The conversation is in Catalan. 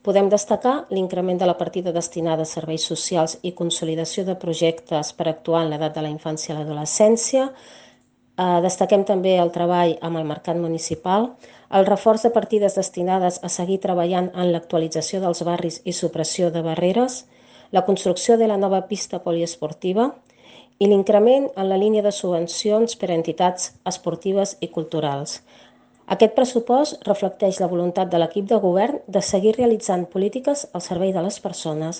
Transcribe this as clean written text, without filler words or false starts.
Podem destacar l'increment de la partida destinada a serveis socials i consolidació de projectes per actuar en l'edat de la infància i l'adolescència. Destaquem també el treball amb el mercat municipal, el reforç de partides destinades a seguir treballant en l'actualització dels barris i supressió de barreres, la construcció de la nova pista poliesportiva i l'increment en la línia de subvencions per a entitats esportives i culturals. Aquest pressupost reflecteix la voluntat de l'equip de govern de seguir realitzant polítiques al servei de les persones